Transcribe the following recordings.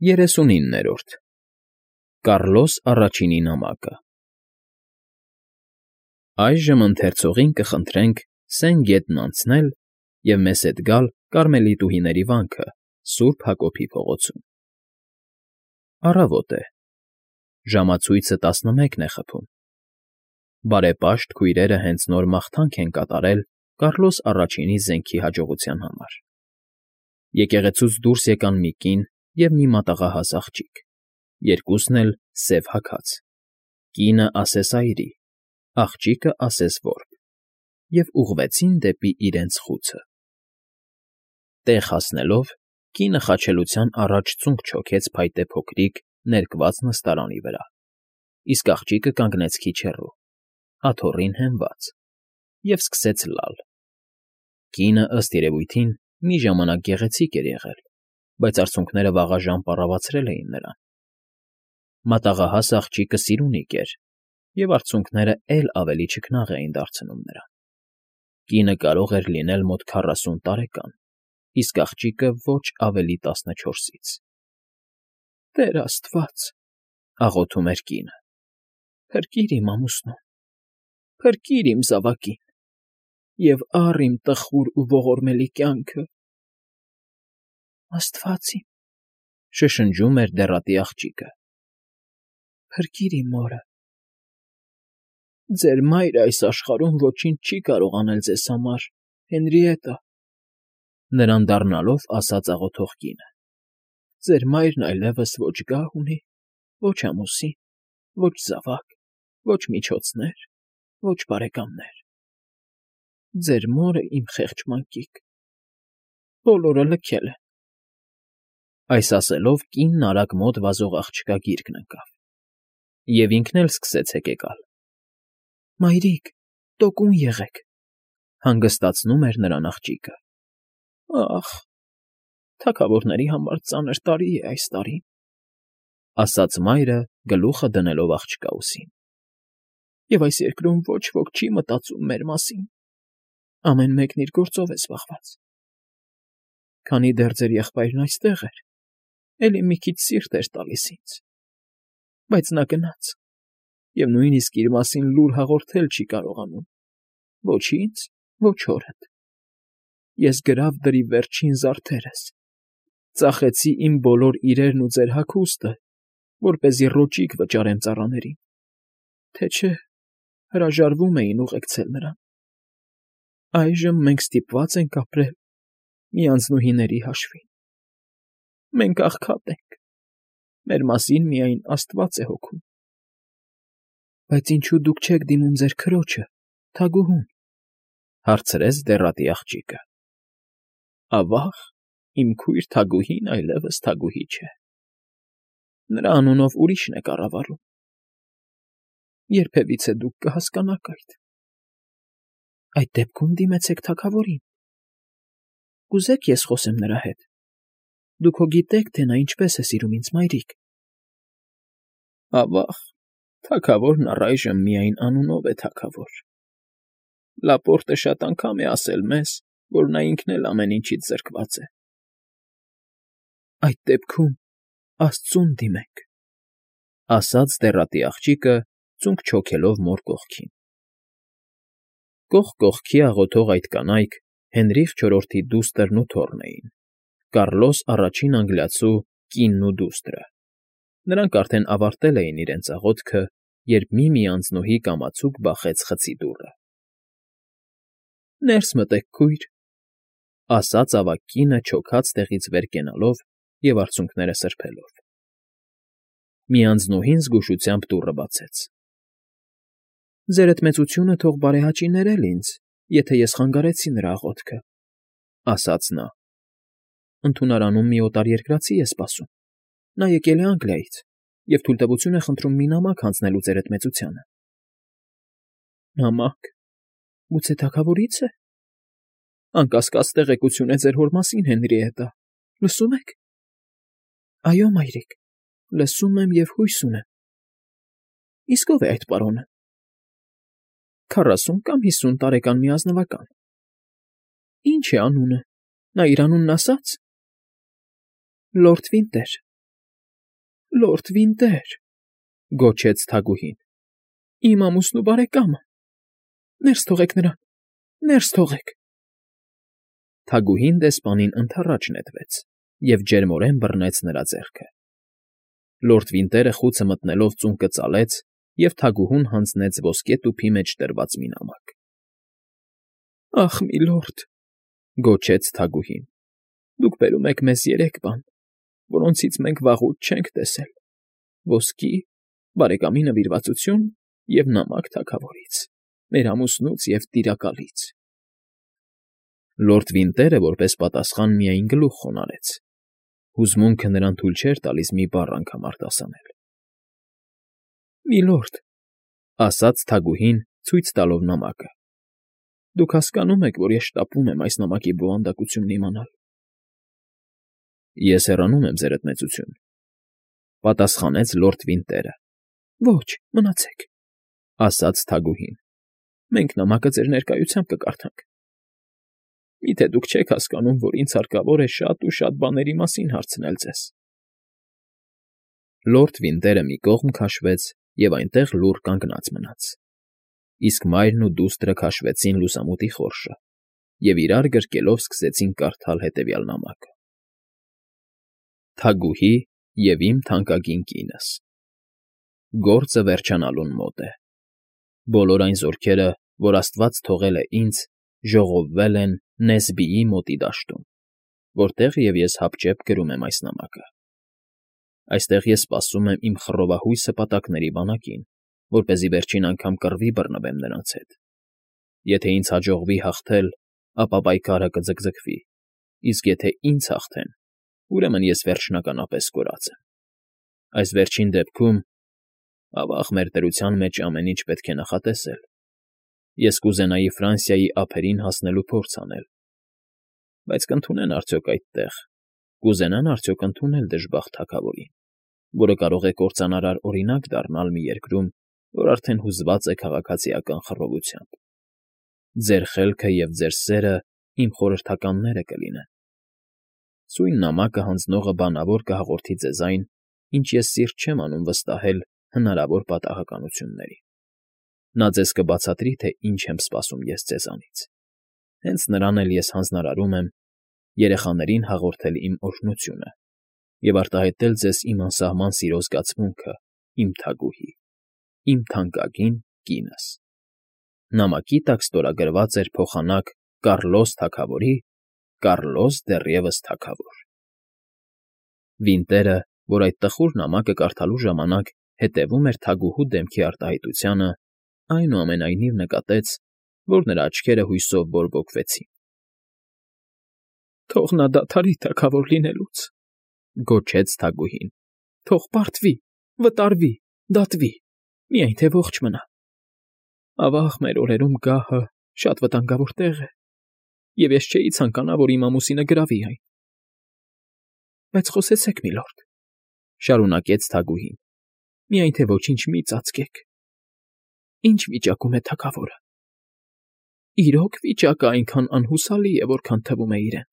39-րդ Կառլոս Առաջինի նամակը Այժմ ընթերցողին կխնդրենք Սեն գետն անցնել և մեզ հետ գալ Կարմելիտուհիների վանքը Սուրբ Հակոբի փողոցում։ Առավոտ է, ժամացույցը 11 է խփում։ Բարեպաշտ քույրերը հենց նոր մաղթանք են կատարել Կառլոս Առաջինի զենքի հաջողության համար։ Եկեղեցուց դուրս եկան մի կին և մի մատաղահաս աղջիկ, երկուսն էլ սև հագած, կինը ասես այրի, աղջիկը ասես որբ, և ուղղվեցին դեպի իրենց խուցը։ Տեղ հասնելով, կինը խաչելության առաջ ծունկ չոքեց փայտե փոքրիկ ներկված նստարանի վրա, իսկ աղջիկը կանգնեց քիչ հեռու, աթոռին հենված, և սկսեց լալ։ Կինը, ըստ երևույթին, մի ժամանակ գեղեցիկ էր եղել, բայց արցունքները վաղաժամ պառավացրել էին նրան։ Մատաղահաս աղջիկը սիրունիկ էր, և արցունքները էլ ավելի չքնաղ էին դարձնում նրան։ Կինը կարող էր լինել մոտ 40 տարեկան, իսկ աղջիկը ոչ ավելի 14-ից։ «Տեր աստված,֊ աղոթում էր կինը,֊ փրկիր իմ ամուսնուն, փրկիր իմ զավակին և առ իմ տխուր ու ողորմելի կյանքը»։ «Աստված իմ,֊ շշնջում էր դեռատի աղջիկը,֊ փրկիր իմ մորը»։ «Ձեր մայրը այս աշխարհում ոչինչ չի կարող անել ձեզ համար, Հենրիետտա,֊ նրան դառնալով ասաց աղոթող կինը,֊ ձեր մայրն այլևս ոչ գահ ունի, ոչ ամուսին, ոչ զավակ, ոչ միջոցներ, ոչ բարեկամներ։ Ձեր մորը, իմ խեղճ մանկիկ, բոլորը լքել են»։ Այս ասելով կինն արագ մոտ վազող աղջկա գիրկն ընկավ, և ինքն էլ սկսեց հեկեկալ։ «Մայրիկ, տոկուն եղեք,֊ հանգստացնում էր նրան աղջիկը։ «Ախ, թագավորների համար ծանր տարի է այս տարին,֊ ասաց մայրը, գլուխը դնելով աղջկա ուսին,֊ և այս երկրում ոչ ոք չի մտածում մեր մասին, ամեն մեկն իր գործով է զբաղված։ Քանի դեռ ձեր եղբայրն այստեղ էր, էլի մի քիչ սիրտ էր տալիս ինձ, բայց նա գնաց և նույնիսկ իր մասին լուր հաղորդել չի կարողանում, ոչ ինձ, ոչ հորդ։ Ես գրավ դրի վերջին զարդերս, ծախեցի իմ բոլոր իրերն ու ձեր հագուստը, որպեսզի ռոճիկ վճարեմ ծառաներին, թե չէ հրաժարվում էին ուղեկցել նրան։ Այժմ մենք ստիպված ենք ապրել մի անձնուհիների հաշվին։ Մենք աղքատ ենք, մեր մասին միայն աստված է հոգում»։ «Բայց ինչո՞ւ դուք չեք դիմում ձեր քրոջը, թագուհուն,֊ հարցրեց դեռատի աղջիկը։ «Ավա՜ղ, իմ քույր թագուհին այլևս թագուհի չէ. նրա անունով ուրիշն է կառավարում։ Երբևիցե դուք կհասկանաք այդ»։ «Այդ դեպքում դիմեցեք թագավորին։ Կուզե՞ք ես խոսեմ նրա հետ։ Դուք հո գիտեք, թե նա ինչպես է սիրում ինձ, մայրիկ»։ «Ավա՜ղ, թագավորն առայժմ միայն անունով է թագավոր. Լապորտը շատ անգամ է ասել մեզ, որ նա ինքն էլ ամեն ինչից զրկված է»։ «Այդ դեպքում աստծուն դիմեք,֊ ասաց դեռատի աղջիկը, ծունկ չոքելով մոր կողքին։ Կողք կողքի աղոթող այդ կանայք Հենրիխ IV-ի դուստրն ու թոռն էին, Կառլոս Առաջին Անգլիացու կինն ու դուստրը։ Նրանք արդեն ավարտել էին իրենց աղոթքը, երբ մի անձնուհի կամացուկ բախեց խցի դուռը։ «Ներս մտեք, քույր,֊ ասաց ավագ կինը չոքած տեղից վեր կենալով և արցունքները սրբելով։ Մի անձնուհին զգուշությամբ դուռը բացեց։ «Ձերդ մեծությունը թող բարեհաճի ներել ինձ, եթե ես խանգարեցի նրա աղոթքը,֊ ասաց նա։ Ընդունարանում մի օտարերկրացի է սպասում. նա եկել է Անգլիայից և թույլտվություն է խնդրում մի նամակ հանձնելու ձերդ մեծությանը»։ «Նամա՞կ, գուցե թագավորի՞ց է։ Անկասկած տեղեկություն է ձեր հոր մասին, Հենրիետտա, լսում եք»։ «Այո, մայրիկ, լսում եմ և հույս ունեմ»։ «Իսկ ո՞վ է այդ պարոնը»։ «40 կամ 50 տարեկան մի ազնվական»։ «Ինչ է անունը, նա իր անունն ասա՞ց»։ «Լորդ Վինտեր, Լորդ Վինտեր,֊ գոչեց թագուհին,֊ իմ ամուսնու բարեկամը… Ներս թողեք նրան, ներս թողեք… Թագուհին դեսպանին ընդառաջ նետվեց և ջերմորեն բռնեց նրա ձեռքը։ Լորդ Վինտերը խուցը մտնելով ծունկը ծալեց և թագուհուն հանձնեց ոսկե տուփի մեջ դրված մի նամակ։ ֊ Ախ, միլորդ,֊ գոչեց թագուհին,֊ դուք բերում եք մեզ 3 բան, որոնցից մենք վաղուց չենք տեսել. ոսկի, բարեկամի նվիրվածություն և նամակ թագավորից, մեր ամուսնուց և տիրակալից… Լորդ Վինտերը որպես պատասխան միայն գլուխ խոնարհեց. հուզմունքը նրան թույլ չէր տալիս մի բառ անգամ արտասանել։ ֊ Միլորդ,֊ ասաց թագուհին, ցույց տալով նամակը,֊ դուք հասկանում եք, որ ես շտապում եմ այս նամակի բովանդակությունն իմանալ։ ֊ Ես հեռանում եմ, ձերդ մեծություն,֊ պատասխանեց լորդ Վինտերը։ ֊ Ոչ, մնացեք,֊ ասաց թագուհին,֊ մենք նամակը ձեր ներկայությամբ կկարդանք։ ֊ Մի՞թե դուք չեք հասկանում, որ ինձ հարկավոր է շատ ու շատ բաների մասին հարցնել ձեզ… Լորդ Վինտերը մի կողմ քաշվեց և այնտեղ լուռ կանգնած մնաց, իսկ մայրն ու դուստրը քաշվեցին լուսամուտի խորշը և իրար գրկելով սկսեցին կարդալ հետևյալ նամակը. Թագուհի և իմ թանկագին կինս… Գործը վերջանալուն մոտ է։ Բոլոր այն զորքերը, որ աստված թողել է ինձ, ժողովվել են Նեզբիի մոտի դաշտում, որտեղ և ես հապճեպ գրում եմ այս նամակը։ Այստեղ ես սպասում եմ իմ խռովահույս հպատակների բանակին, որպեսզի վերջին անգամ կռվի բռնվեմ նրանց հետ։ Եթե ինձ հաջողվի հաղթել, ապա պայքարը կձգձգվի, իսկ եթե ինձ հաղթեն, ուրեմն ես վերջնականապես կորած եմ։ Այս վերջին դեպքում, ավա՜ղ, մեր դրության մեջ ամեն ինչ պետք է նախատեսել։ Ես կուզենայի Ֆրանսիայի ափերին հասնելու փորձ անել։ Բայց կընդունեն արդյոք այդտեղ, կուզենան արդյոք ընդունել դժբախտ թագավորին, որը կարող է կործանարար օրինակ դառնալ մի երկրում, որ արդեն հուզված է քաղաքացիական խռովությամբ։ Ձեր խելքը և ձեր սերը իմ խորհրդականները կլինեն։ Սույն նամակը հանձնողը բանավոր կհաղորդի ձեզ այն, ինչ ես սիրտ չեմ անում վստահել հնարավոր պատահականություններին։ Նա ձեզ կբացատրի, թե ինչ եմ սպասում ես ձեզանից։ Հենց նրան էլ ես հանձնարարում եմ երեխաներին հաղորդել իմ օրհնությունը և արտահայտել ձեզ իմ անսահման սիրո զգացմունքը, իմ թագուհի, իմ թանկագին կինս։ Նամակի տակ ստորագրված էր փոխանակ Կառլոս թագավորի, Կառլոս դեռևս թագավոր։ Վինտերը, որ այդ տխուր նամակը կարդալու ժամանակ հետևում էր թագուհու դեմքի արտահայտությանը, այնուամենայնիվ նկատեց, որ նրա աչքերը հույսով բորբոքվեցին։ ֊ Թող նա դադարի թագավոր լինելուց,֊ գոչեց թագուհին,֊ թող պարտվի, վտարվի, դատվի, միայն թե ողջ մնա… Ավա՜ղ, մեր օրերում գահը շատ վտանգավոր տեղ է, և ես չէի ցանկանա, որ իմ ամուսինը գրավի այն… ֊ Բայց խոսեցեք, միլորդ,֊ շարունակեց թագուհին,֊ միայն թե ոչինչ մի ծածկեք… Ի՞նչ վիճակում է թագավորը… Իրո՞ք վիճակը այնքան անհուսալի է, որքան թվում է իրեն…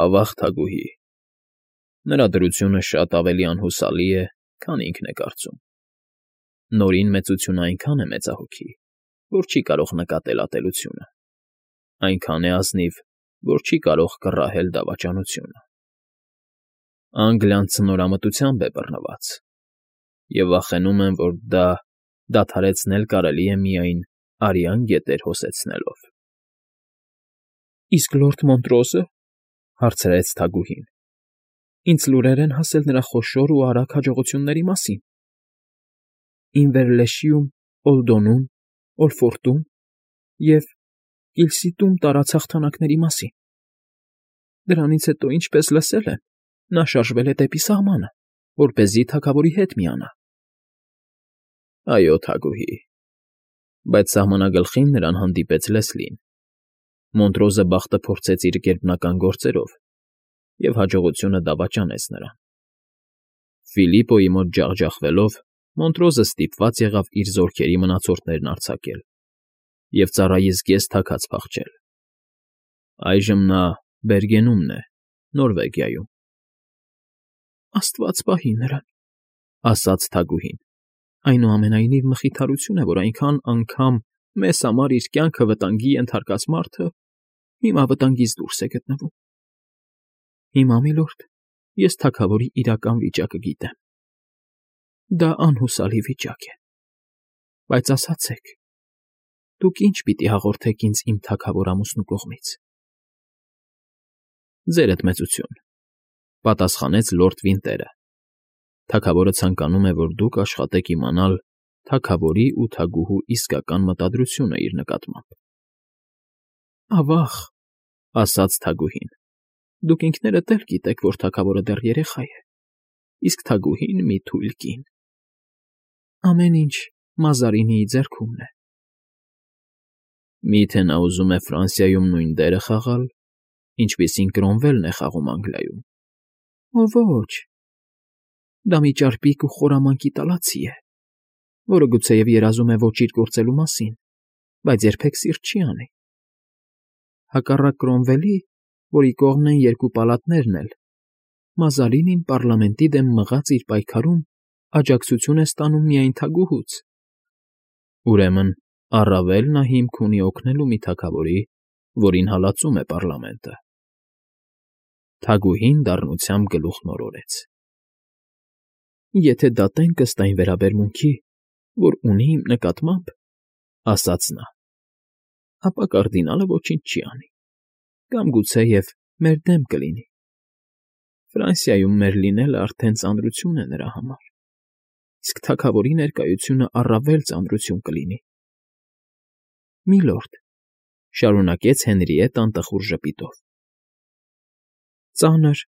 Ավա՜ղ, թագուհի, նրա դրությունը շատ ավելի անհուսալի է, քան ինքն է կարծում… Նորին մեծությունն այնքան է մեծահոգի, որ չի կարող նկատել ատելությունը, այնքան է ազնիվ, որ չի կարող կռահել դավաճանությունը… Անգլիան ցնորամտությամբ է բռնված, և վախենում եմ, որ դա դադարեցնել կարելի է միայն արյան գետեր հոսեցնելով։ ֊ Իսկ լորդ Մոնտրոզը,֊ հարցրեց թագուհին,֊ ինձ լուրեր են հասել նրա խոշոր ու արագ հաջողությունների մասին… Ինվերլեշիում, Օլդոնում, Օլֆորտում և Կիլսիտում տարած հաղթանակների մասին… Դրանից հետո, ինչպես լսել եմ, նա շարժվել է դեպի սահմանը, որպեսզի թագավորի հետ միանա… ֊ Այո, թագուհի, բայց սահմանագլխին նրան հանդիպեց Լեսլին… Մոնտրոզը բախտը փորձեց իր գերբնական գործերով, և հաջողությունը դավաճանեց նրան… Ֆիլիպպոյի մոտ ջախջախվելով՝ Մոնտրոզը ստիպված եղավ իր զորքերի մնացորդներն արձակել և ծառայից կես թաքած փախչել… Այժմ նա Բերգենումն է, Նորվեգիայում։ Աստված պահի նրան, ասաց թագուհին։ Այնուամենայնիվ մխիթարություն է, որ այնքան անգամ մեզ համար իր կյանքը վտանգի ենթարկած մարդը հիմա վտանգից դուրս է գտնվում։ Հիմա, միլորդ, ես թագավորի իրական վիճակը գիտեմ։ Դա անհուսալի վիճակ է։ Բայց ասացեք, դուք ինչ պիտի հաղորդեք ինձ իմ թագավոր ամուսնու կողմից։ Ձերդ մեծություն, պատասխանեց լորդ Վինտերը։ Թագավորը ցանկանում է, որ դուք աշխատեք իմանալ թագավորի ու թագուհու իսկական մտադրությունը իր նկատմամբ։ Ավաղ, ասաց թագուհին, դուք ինքներդ էլ գիտեք, որ թագավորը դեռ երեխա է, իսկ թագուհին մի թույլ կին։ Ամեն ինչ Մազարինիի ձեռքումն է։ Միթե նա ուզում է Ֆրանսիայում նույն դերը խաղալ, ինչպիսին Կրոմվելն է խաղում Անգլիայում։ Ոչ, դա մի ճարպիկ ու խորամանկի տալացի է, որը գուցեև երազում է ոչիր գործելու մասին, բայց երբեք սիրտ չի անի։ Հակառակ Կրոմվելի, որի կողմն են երկու պալատներն էլ, Մազարինին պառլամենտի դեմ մղած իր պայքարում աջակցություն է ստանում միայն թագուհուց։ Ուրեմն առավել նա հիմք ունի օգնելու մի թագավորի, որին հալածում է պառլամենտը։ Թագուհին դառնությամբ գլուխն օրորեց։ Եթե դատենք ըստ այն վերաբերմունքի, որ ունի իմ նկատմամբ, ասաց նա, ապա կարդինալը ոչինչ չի անի, կամ գուցեև մեր դեմ կլինի։ Ֆրանսիայում մեր լինելը արդեն ծանրություն է նրա համար, իսկ թագավորի ներկայությունը առավել ծանրություն կլինի։ Միլորդ, շարունակեց Հենրիետան տխուր ժպիտով, ծանր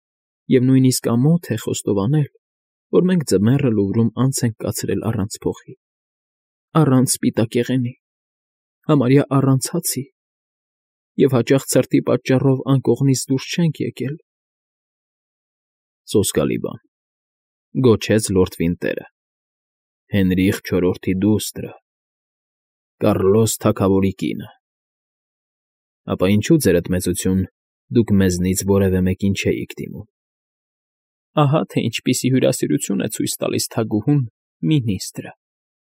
և նույնիսկ ամոթ է խոստովանել, որ մենք ձմեռը Լուվրում անց ենք կացրել առանց փոխի, առանց սպիտակեղենի, համարյա առանց հացի, և հաճախ ցրտի պատճառով անկողնից դուրս չենք եկել։ Սոսկալի բան, գոչեց լորդ Վինտերը, Հենրիխ չորրորդի դուստրը, Կառլոս թագավորի կինը։ Ապա ինչու, ձերդ մեծություն, դուք մեզնից որևէ մեկին չէիք դիմում։ Ահա թե ինչպիսի հյուրասիրություն է ցույց տալիս թագուհուն մինիստրը,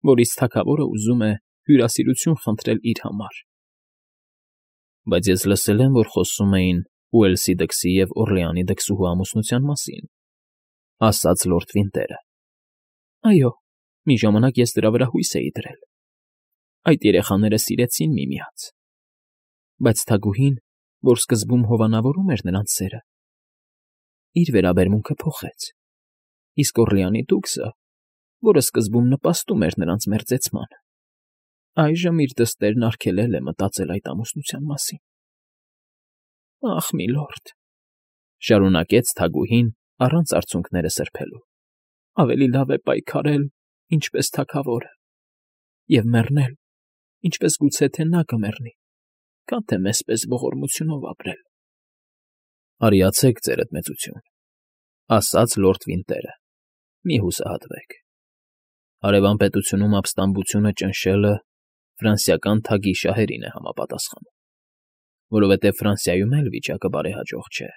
որից թագավորը ուզում է հյուրասիրություն խնդրել իր համար։ Բայց ես լսել եմ, որ խոսում էին Ուելսի դքսի և Օրլեանի դքսուհու ամուսնության մասին, ասաց լորդ Վինտերը։ Այո, մի ժամանակ ես դրա վրա հույս էի դրել։ Այդ երեխաները սիրեցին միմյանց։ Բայց թագուհին, որ սկզբում հովանավորում էր նրանց սերը, իր վերաբերմունքը փոխեց, իսկ Օրլեանի դուքսը, որը սկզբում նպաստում էր նրանց մերձեցմանը, այժմ իր դստերն արգելել է մտածել այդ ամուսնության մասին։ Ախ, միլորդ, շարունակեց թագուհին առանց արցունքները սրբելու, ավելի լավ է պայքարել, ինչպես թագավորը, և մեռնել, ինչպես գուցե թե նա կմեռնի, քան թե մեզպես ողորմությունով ապրել։ Արիացեք, ձերդ մեծություն, ասաց լորդ Վինտերը, մի հուսահատվեք։ Հարևան պետությունում ապստամբությունը ճնշելը ֆրանսիական թագի շահերին է համապատասխանում, որովհետև Ֆրանսիայում էլ վիճակը բարեհաջող չէ։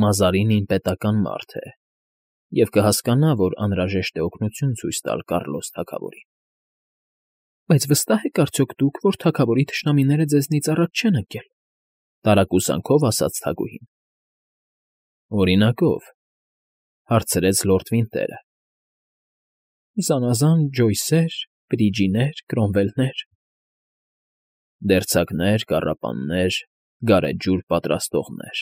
Մազարինին պետական մարդ է և կհասկանա, որ անհրաժեշտ է օգնություն ցույց տալ Կառլոս թագավորին։ Բայց վստահ եք արդյոք դուք, որ թագավորի թշնամիները ձեզնից առաջ չեն ընկել, տարակուսանքով ասաց թագուհին։ Օրինակով, հարցրեց լորդ Վինտերը։ Զանազան Ջոյսեր, Բրիջիներ, Կրոմվելներ։ Դերձակներ, կառապաններ, գարեջուր պատրաստողներ։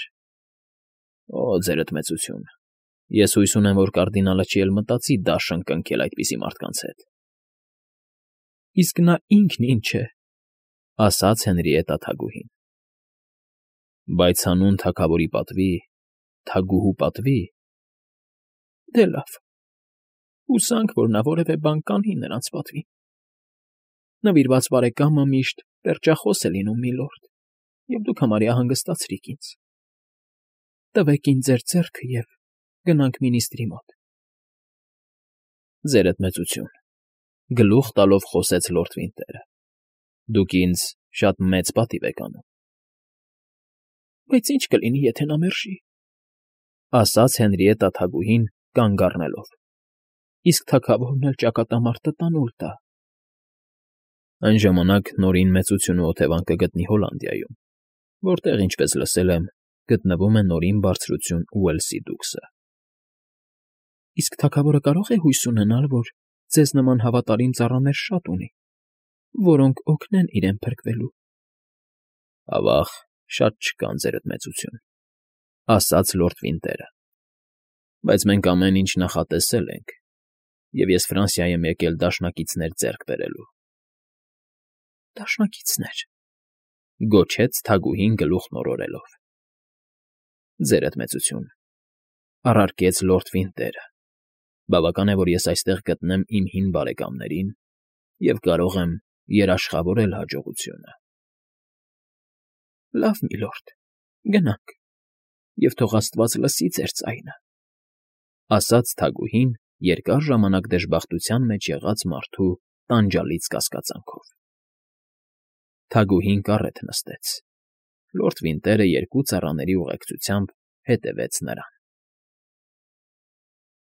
Օ, ձերդ մեծություն, ես հույս ունեմ, որ կարդինալը չի էլ մտածի դաշն կնքել այդպիսի մարդկանց հետ։ Իսկ նա ինքն ինչ է, ասաց Հենրիետա թագուհին։ Բայց հանուն թագավորի պատվի, թագուհու պատվի։ Դե լավ, հուսանք, որ նա որևէ բան կանի նրանց պատվին։ Նվիրված բարեկամը միշտ պերճախոս է լինում, միլորդ, և դուք համարյա հանգստացրիք ինձ։ Տվեք ինձ ձեր ձեռքը և գնանք մինիստրի մոտ։ Ձերդ մեծություն, գլուխ տալով խոսեց լորդ Վինտերը, դուք ինձ շատ մեծ պատիվ եք անում։ Բայց ինչ կլինի, եթե նա մերժի։ ասաց Հենրիետա թագուհին կանգ առնելով։ Իսկ թագավորն էլ ճակատամարտը տանուլ տա։ Այն ժամանակ Նորին մեծություն ու օթևան կգտնի Հոլանդիայում, որտեղ, ինչպես լսել եմ, գտնվում է Նորին բարձրություն Ուելսի դուքսը։ Իսկ թագավորը կարո՞ղ է հույս ունենալ, որ ձեզ նման հավատարիմ ծառաներ շատ ունի, որոնք օգնեն իրեն փրկվելու։ Ավա՜ղ, շատ չկան, ձերդ մեծություն, ասաց լորդ Վինտերը։ Բայց մենք ամեն ինչ նախատեսել ենք, և ես Ֆրանսիա եմ եկել դաշնակիցներ ձեռք բերելու։ Դաշնակիցներ,֊ գոչեց թագուհին գլուխն օրորելով։ Ձերդ մեծություն,֊ առարկեց լորդ Վինտերը, բավական է, որ ես այստեղ գտնեմ իմ հին բարեկամներին և կարող եմ երաշխավորել հաջողությունը։ Լավ, միլորդ, գնանք, և թող աստված լսի ձեր ձայնը,֊ ասաց թագուհին երկար ժամանակ դժբախտության մեջ եղած մարդու տանջալից կասկածանքով։ Թագուհին կառետ նստեց։ Լորդ Վինտերը երկու ծառաների ուղեկցությամբ հետևեց նրան։